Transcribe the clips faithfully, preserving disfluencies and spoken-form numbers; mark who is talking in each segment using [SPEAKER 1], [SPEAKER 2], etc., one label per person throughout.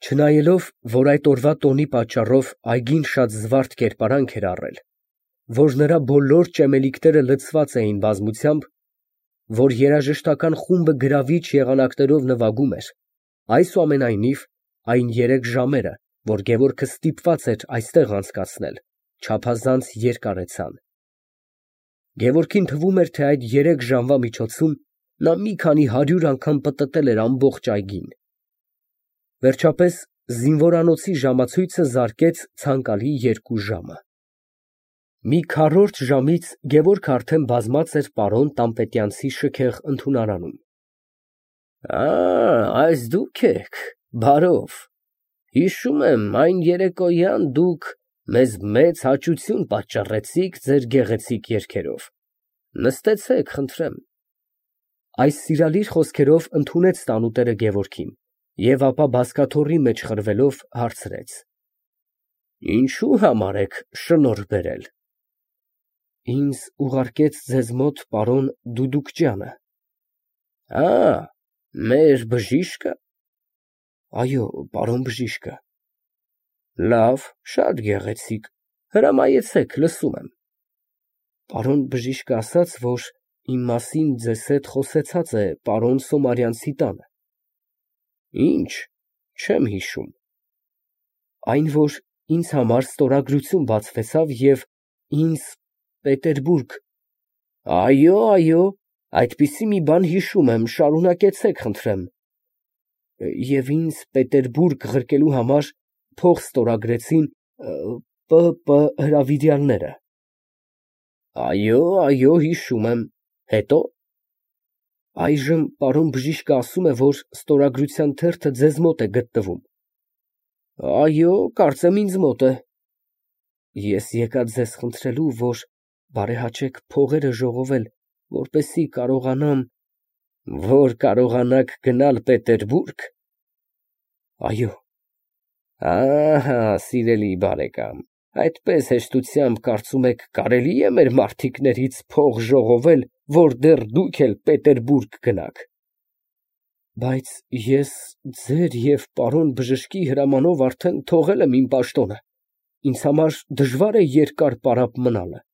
[SPEAKER 1] Չնայելով, որ այդ օրվա տոնի պատճառով այգին շատ զվարթ կերպարանք էր առել, որ նրա բոլոր ճեմելիքները լցված էին բազմությամբ, որ երաժշտական խումբը գրավիչ եղանակներով նվագում էր, այսուամենայնիվ, այն երեք ժամերը, որ Գևորգը ստիպված էր այստեղ անցկացնել, չափազանց երկարացան։ Գևորգին թվում էր, թե այդ երեք ժամվա միջոցում նա մի քանի հարյուր անգամ պտտել էր ամբողջ այգին։ Վերջապես զինվորանոցի ժամացույցը զարկեց ցանկալի երկու ժամը։ Մի քառորդ ժամից Գևորգը արդեն բազմած էր պարոն Տան֊Պետյանցի շքեղ ընդունարանում։ Ա, այս դուք եք, բարով, հիշում եմ, այն երեկոյան դուք մեզ մեծ հաճություն պատճառեցիք ձեր գեղեցիկ երգերով, նստեցեք, խնդրեմ։ Այս սիրալիր խոսքերով ընդունեց տանուտերը Գևորգին և ապա բազկաթոռի մեջ խրվելով հարցրեց. Ինչու համար եք շնորհ բերել։ Ինձ ուղարկեց ձեզ մոտ պարոն Դուդուկջյանը։ Ա, մեր բժիշկը։ Այո, պարոն բժիշկը։ Լավ, շատ գեղեցիկ, հրամայեցեք, լսում եմ։ Պարոն բժիշկը ասաց, որ իմ մասին ձեզ հետ խոսեցած է պարոն Սոմարյանցի տանը։ Ինչ, չեմ հիշում։ Այն, որ ինձ համար ստորագրություն բացվեցավ և ինձ Պետերբուրգ։ Այո, այո, այդպիսի մի բան հիշում եմ, շարունակեցեք, խնդրեմ։ Եվ ինձ Պետերբուրգ ղրկելու համար փող ստորագրեցին Պ. Պ. հրավիրյալները։ Այո, այո, հիշում եմ, հետո։ Այժմ պարոն բժիշկը ասում է, որ ստորագրության թերթը ձեզ մոտ է գտնվում։ Այո, կարծեմ ինձ մոտ է։ Ես եկա ձեզ խնդրելու, որ բարեհաճեք փողերը ժողովել, որպեսզի կարողանամ… Որ կարողանաք գնալ Պետերբուրգ։ Այո։ Ահա, սիրելի բարեկամ, այդպես հեշտությամբ կարծում եք կարելի է մեր մարդիկներից փող ժողովել, որ դեռ դուք էլ Պետերբուրգ գնաք։ Բայց ես ձեր և պարոն բժշկի հրամանով արդեն թողել եմ իմ պաշտոնը, ինձ համար դժվար է երկար պարապ մնալը։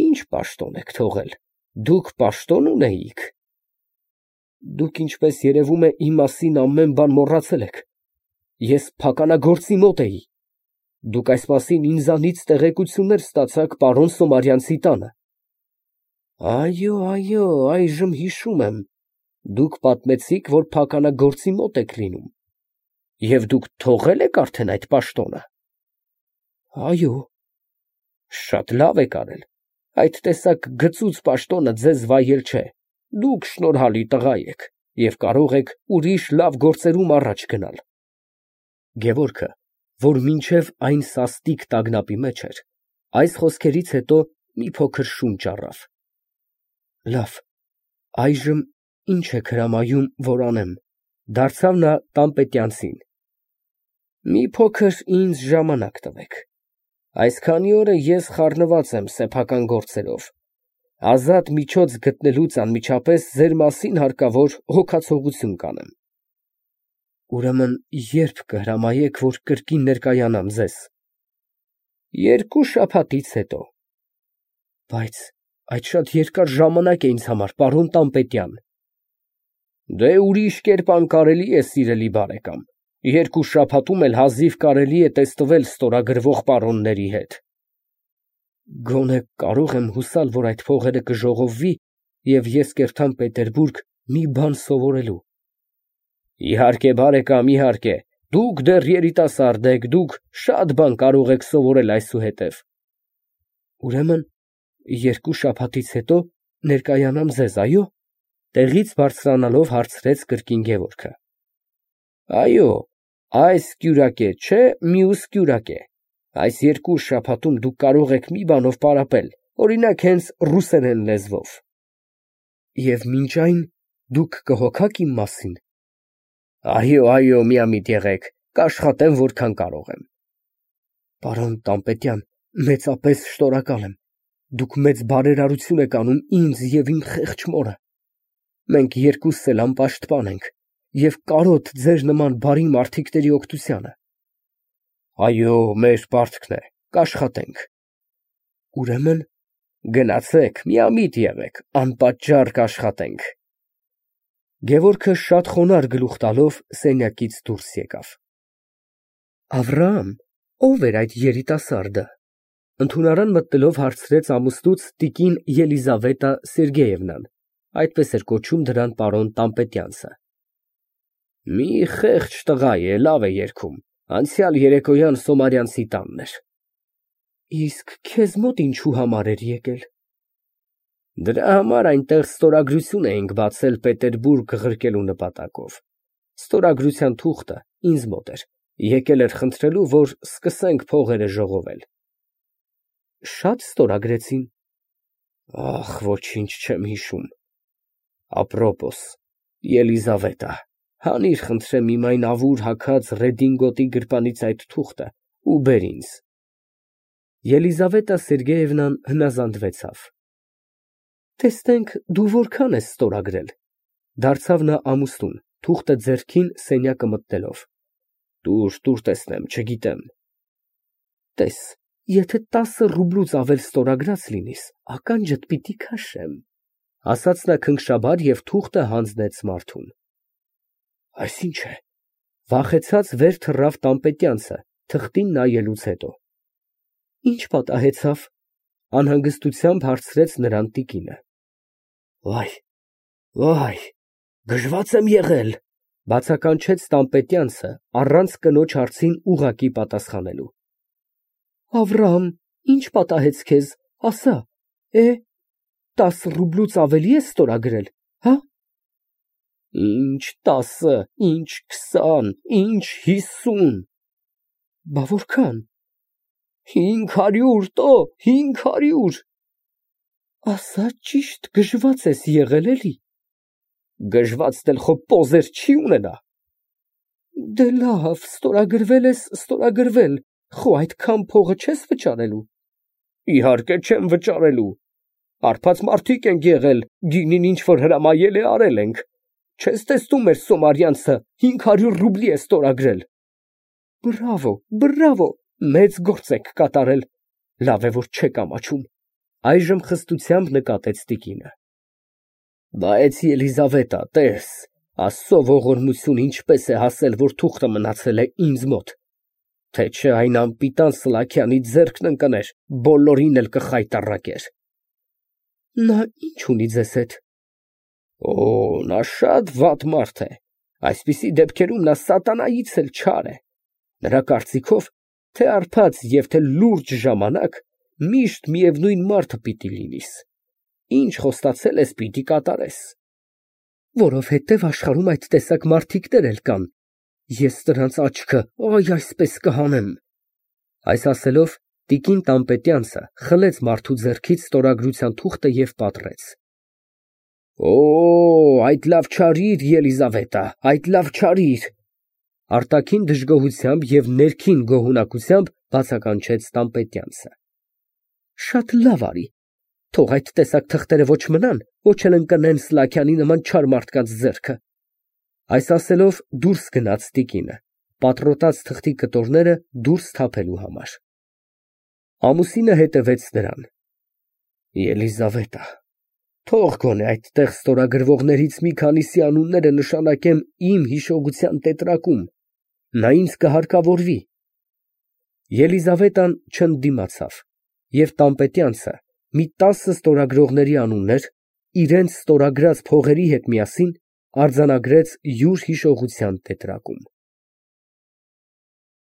[SPEAKER 1] Ինչ պաշտոն եք թողել, դուք պաշտոն ունեիք։ Դուք, ինչպես երևում է, իմ մասին ամեն բան մոռացել եք։ Ես փականագործի մոտ էի։ Դուք այս մասին ինձանից տեղեկություններ ստացաք պարոն Սոմարյանցի տանը։ Այո, այո, այժմ հիշում եմ, դուք պատմեցիք, որ փականագործի մոտ եք լինում։ Եվ դուք թողել եք արդեն այդ պաշտոնը։ Այո։ Շատ լավ եք արել, այդ տեսակ գծուծ պաշտոնը ձեզ վայել չէ, դուք շնորհալի տղա եք և կարող եք ուրիշ լավ գործերում առաջ գնալ։ Գևորգը, որ մինչև այն սաստիկ տագնապի մեջ էր, այս խոսքերից հետո մի փոքր շունչ առավ։ Լավ, այժմ ինչ եք հրամայում, որ անեմ, դարձավ նա Տան֊Պետյանցին։ Մի փոքր ինձ ժամանակ տվեք։ Այս քանի օրը ես խառնված եմ սեփական գործերով, ազատ միջոց գտնելուց անմիջապես ձեր մասին հարկավոր հոգացողություն կանեմ։ Ուրեմն ե՞րբ կհրամայեք, որ կրկին ներկայանամ ձեզ։ Երկու շաբաթից հետո։ Բայց այդ շատ երկար ժամանակ է ինձ համար, պարոն Տան֊Պետյան։ Դե ուրիշ կերպ անկարելի է, սիրելի բարեկամ, երկու շաբաթում էլ հազիվ կարելի է տեստվել ստորագրվող պարոնների հետ։ Գոնե կարող եմ հուսալ, որ այդ փողերը կժողովվի, և ես կերթամ Պետերբուրգ մի բան սովորելու։ Իհարկե, բարեկամ, իհարկե, դուք դեռ երիտասարդ եք, դուք շատ բան կարող եք սովորել այսուհետև։ Ուրեմն երկու շաբաթից հետո ներկայանամ ձեզ, այո՞։ Տեղից բարձրանալով հարցրեց կրկին Գևորգը։ Այո, այս կյուրակե չէ, մյուս կյուրակե։ Այս երկու շաբաթում դուք կարող եք մի բանով պարապել, օրինակ, հենց ռուսերեն լեզվով։ Եվ մինչ այն դուք կհոգաք իմ մասին։ Այո, այո, միամիտ եղեք, կաշխատեմ որքան կարող եմ։ Պարոն Տան֊Պետյան, մեծապես շնորհակալ եմ։ Դուք մեծ բարերարություն եք անում ինձ և իմ խեղճ մորը։ Մենք երկուսս էլ անպաշտպան ենք, և կարոտ ձեր նման բարի մարդիկների օգնությանը։ Այո, մեր պարտքն է, կաշխատենք։ Ուրեմն գնացեք, միամիտ եղեք, անպատճառ կաշխատենք։ Գևորգը շատ խոնարհ գլուխ տալով սենյակից դուրս եկավ։ Ավրահամ, ո՞վ էր այդ երիտասարդը։ Ընդունարան մտնելով հարցրեց ամուսնուց տիկին Ելիզավետա Սերգեևնան, այդպես էր կոչում դրան պարոն Տան֊Պետյանցը։ Մի խեղճ տղա է, լավ է երգում, անցյալ երեկոյան Սոմարյանցի տանն էր։ Իսկ քեզ մոտ ինչու համար էր եկել։ Դրա համար այնտեղ ստորագրություն էինք բացել Պետերբուրգ ղրկելու նպատակով։ Ստորագրության թուղթը ինձ մոտ էր, եկել էր խնդրելու, որ սկսենք փողերը ժողովել։ Շատ ստորագրեցին։ Ախ, ոչինչ չեմ հիշում։ Ապրոպոս, Ելիզավետա, հանիր խնդրեմ իմ այն ավուր հագած ռեդինգոտի գրպանից այդ թուղթը ու բեր ինձ։ Ելիզավետա Սերգեևնան հնազանդվեցավ։ Տեսնենք, դու որքան ես ստորագրել, դարձավ նա ամուսնուն, թուղթը ձեռքին սենյակը մտնելով։ Տուր, տուր տեսնեմ, չգիտեմ։ Տես, եթե տասը ռուբլուց ավել ստորագրած լինիս, ականջդ պիտի քաշեմ, ասաց նա քնքշաբար և թուղթը հանձնեց մարդուն։ Այս ինչ է։ Վախեցած վեր թռավ Տան֊Պետյանցը, թղթին նայելուց հետո։ Ինչ պատահեցավ, անհանգստությամբ հարցրեց նրան տիկինը։ Վայ, վայ, գժված եմ եղել, բացականչեց Տան֊Պետյանցը, առանց կնոջ հարցին ուղղակի պատասխանելու։ Ավրահամ, ինչ պատահեց քեզ, ասա, է, տասը ռուբլուց ավելի ես ստորագրել, հա։ Ինչ տասը, ինչ քսան, ինչ հիսուն։ Բա որքան։ Հինգ հարյուր, տո, հինգ հարյուր։ Ասա ճիշտ գժված ես եղել, էլի։ Գժվածն էլ խո պոզեր չի ունենա։ Դե լավ, ստորագրվել ես, ստորագրվել, խո այդքան փողը չես վճարելու։ Իհարկե չեմ վճարելու։ Հարբած մարդիկ ենք եղել, գինին ինչ որ հրամայել է արել ենք։ Չես տեսնում մեր Սոմարյանցը հինգ հարյուր ռուբլի է ստորագրել։ Բրավո, բրավո, մեծ գործ եք կատարել։ Լավ է, որ չեք ամաչում։ Այժմ խստությամբ նկատեց տիկինը։ Բայց Ելիզավետա, տես, Աստծո ողորմություն ինչպես է հասել, որ թուղթը մնացել է ինձ մոտ, թե չէ այն անպիտան Սլաքյանի ձեռքն ընկներ, բոլորին էլ կխայտառակեր։ Նա ինչ ունի ձեզ հետ։ Օ, նա շատ վատ մարդ է, այսպիսի դեպքերում նա սատանայից էլ չար է։ Նրա կարծիքով, թե հարբած և թե լուրջ ժամանակ միշտ միևնույն մարդը պիտի լինիս։ Ինչ խոստացել ես, պիտի կատարես։ Որովհետև աշխարհում այդ տեսակ մարդիկներ էլ կան։ Ես նրանց աչքը, այ այսպես կհանեմ։ Այս ասելով, տիկին Տան-Պետյանցը խլեց մարդու ձեռքից ստորագրության թուղթը և պատռեց։ Օ, այդ լավ չարիր, Ելիզավետա, այդ լավ չարիր։ Արտաքին դժգոհությամբ և ներքին գոհունակությամբ բացականչեց Տան-Պետյանցը։ Շատ լավ արի, թող այդ տեսակ թղթերը ոչ մնան, ոչ էլ ընկնեն Սլաքյանի նման չար մարդկանց ձեռքը։ Այս ասելով դուրս գնաց տիկինը, պատռոտած թղթի կտորները դուրս թափելու համար։ Ամուսինը հետևեց նրան։ Ելիզավետա, թող գոնե այդտեղ ստորագրվողներից մի քանիսի անունները նշանակեմ իմ հիշողության տետրակում, նա ինձ կհարկավորվի։ Ելիզավետան չընդդիմացավ, և Տան-Պետյանցը մի տասը ստորագրողների անուններ իրենց ստորագրած փողերի հետ միասին արձանագրեց յուր հիշողության տետրակում։